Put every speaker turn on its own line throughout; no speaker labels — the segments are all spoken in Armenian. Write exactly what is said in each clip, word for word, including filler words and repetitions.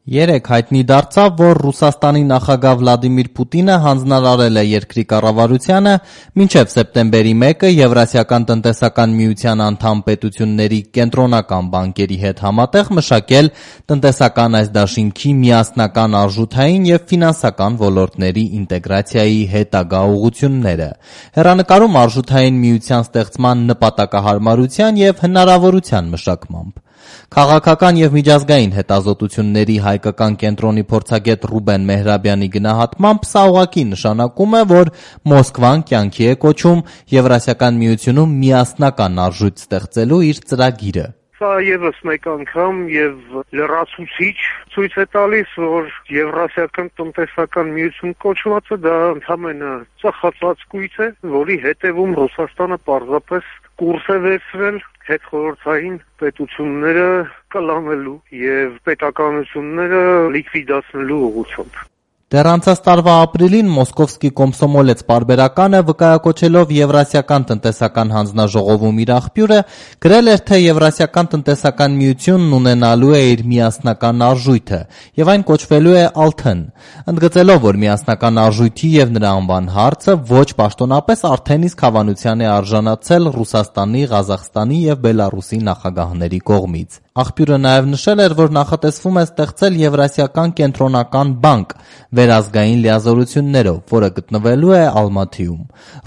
Երեկ հայտնի դարձավ, որ Ռուսաստանի նախագահ Վլադիմիր Պուտինը հանձնարարել է երկրի կառավարությանը մինչև սեպտեմբերի մեկը Եվրասիական տնտեսական միության անդամ պետությունների կենտրոնական բանկերի հետ համատեղ մշակել տնտեսական այս դաշինքի միասնական արժութային և ֆինանսական ոլորտների ինտեգրացիայի հետագա ուղղությունները։ Հեռանկարում արժութային միության ստեղծման նպատակահարմարության և հնարավորության մշակմամբ։ Քաղաքական և միջազգային հետազոտությունների հայկական կենտրոնի փորձագետ Ռուբեն Մեհրաբյանի գնահատմամբ սա ուղղակի նշանակում է, որ Մոսկվան կյանքի է կոչում Եվրասիական միությունում միասնական արժույթ ստեղծելու իր ծրագիրը։
Սա ևս մեկ անգամ եւ լրացուցիչ ցույց է տալիս, որ Եվրասիական տնտեսական միություն կոչվածը դա ընդհանրապես ծխացած կույտ է, որի հետևում Ռուսաստանը պարզապես կուրս է վերցրել հետխորհրդային պետությունները կլանելու եւ պետականությունները լիկվիդացնելու ուղղությամբ։
Դեռ անցած տարվա ապրիլին Մոսկովսկի Կոմսոմոլեց պարբերականը վկայակոչելով Եվրասիական տնտեսական հանձնաժողովում իր աղբյուրը գրել էր, թե Եվրասիական տնտեսական միությունն ունենալու է իր միասնական արժույթը եւ այն կոչվելու է Ալթն, ընդգծելով, որ միասնական արժույթի եւ նրա անվան հարցը ոչ պաշտոնապես արդեն իսկ հավանության է արժանացել Ռուսաստանի, Ղազախստանի եւ Բելառուսի նախագահների կողմից։ Աղբյուրը նաև նշել էր, որ նախատեսվում է ստեղծել Եվրասիական կենտրոնական բանկ վերազգային լիազորություններով, որը գտնվելու է Ալմաթիում։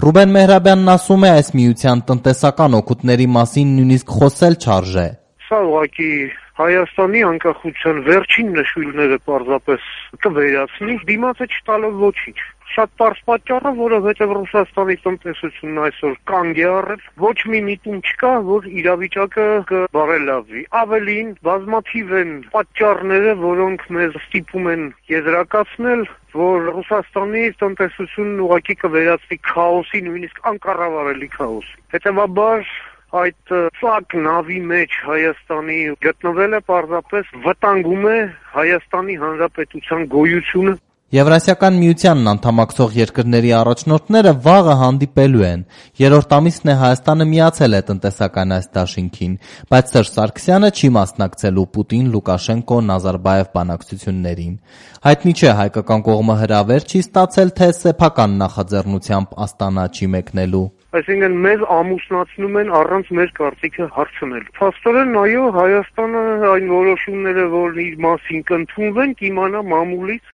Ռուբեն Մեհրաբյանն ասում է, այս միության տնտեսական օգուտների մասին նույնիսկ խոսել չարժե։
Սա ուղղակի Հայաստանի անկախության վերջին նշույլները պարզապես կվերացնի, դիմացը չտալով ոչինչ։ Շատ պարզ պատճառը, որովհետև Ռուսաստանի տնտեսությունն այսօր կանգ է առել, ոչ մի միտում չկա, որ իրավիճակը կբարելավվի։ Ավելին, բազմաթիվ են պատճառները, որոնք մեզ ստիպում են եզրակացնել, որ Ռուսաստանի տնտեսությունն ուղղակի կվերածվի քաոսի, նույնիսկ անկառավարելի քաոսի։ Հետևաբար այդ ծակ նավի մեջ Հայաստանի գտնվելը պարզապես վտանգում է Հայաստանի Հանրապետության գոյությունը։
Եվրասիական միությանն անդամակցող երկրների առաջնորդները վաղը հանդիպելու են։ Երրորդ ամիսն է Հայաստանը միացել է տնտեսական այս դաշինքին, բայց Սերժ Սարգսյանը չի մասնակցելու Պուտին-Լուկաշենկո-Նազարբաև բանակցություններին։ Հայտնի չէ, հայկական կողմը հրավեր չի ստացել, թե սեփական նախաձեռնությամբ Աստանա չի մեկնելու։
Այսինքն մեզ ամուսնացնում են առանց մեր կարծիքը հարցնելու։ Փաստորեն, այո, Հայաստանը այն որոշումները, որ իր մասին կընդունվեն, կիմանա մամուլից